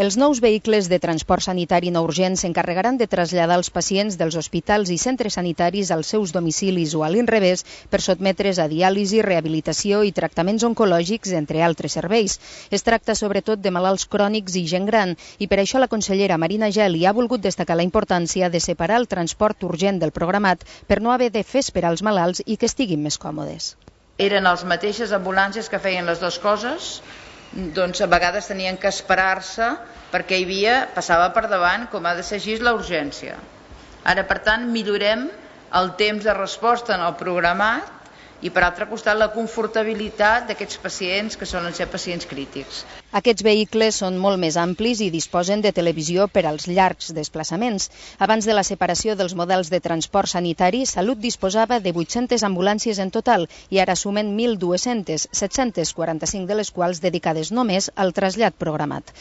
Els nous vehicles de transport sanitari no urgent s'encarregaran de traslladar els pacients dels hospitals i centres sanitaris als seus domicilis o a l'inrevés per sotmetre's a diàlisi, rehabilitació i tractaments oncològics, entre altres serveis. Es tracta sobretot de malalts crònics i gent gran i per això la consellera Marina Geli ha volgut destacar la importància de separar el transport urgent del programat per no haver de fer esperar els malalts i que estiguin més còmodes. Eren les mateixes ambulàncies que feien les dues coses, doncs a vegades tenien que esperar-se perquè passava per davant, com ha de ser així, la urgència. Ara, per tant, millorem el temps de resposta en el programat i, per altre costat, la confortabilitat d'aquests pacients que solen ser pacients crítics. Aquests vehicles són molt més amplis i disposen de televisió per als llargs desplaçaments. Abans de la separació dels models de transport sanitari, Salut disposava de 800 ambulàncies en total i ara sumen 1.200, 745 de les quals dedicades només al trasllat programat.